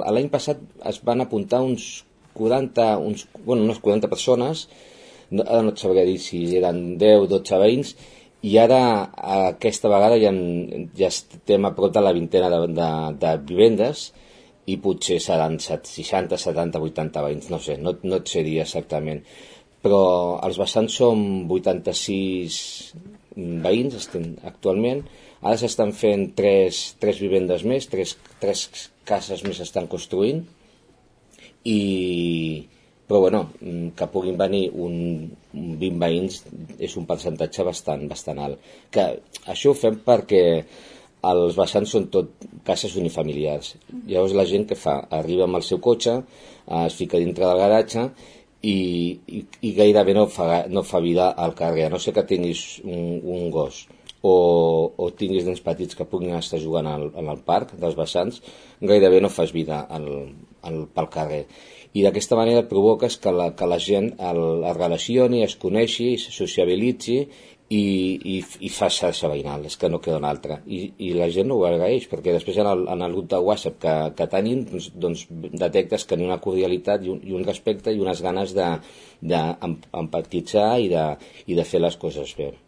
L'any passat es van apuntar unes 40 persones, ara no et sabré dir si eren 10 o 12 veïns, i ara aquesta vegada ja estem a prop de la vintena de vivendes i potser seran 60, 70, 80 veïns, no sé, no et sé dir exactament. Però els vessants són 86 veïns actualment. Ara s'estan fent tres vivendes més, tres cases més s'estan construint i però bueno, que puguin venir un 20 veïns és un percentatge bastant alt. Que això ho fem perquè els vessants són tot cases unifamiliars. Llavors la gent que fa? Arriba amb el seu cotxe, es fica dintre del garatge i gairebé no fa vida al carrer, a no ser que tinguis un gos o tinguis nens petits que puguin estar jugant en el parc dels vessants, gairebé no fas vida pel carrer. I d'aquesta manera provoques que la gent es relacioni, es coneixi, es sociabilitzi i fa xarxa veïnal, és que no queda una altra. I la gent no ho agraeix, perquè després en el grup de WhatsApp que tenim doncs detectes que hi ha una cordialitat i un respecte i unes ganes d'empatitzar i de fer les coses bé.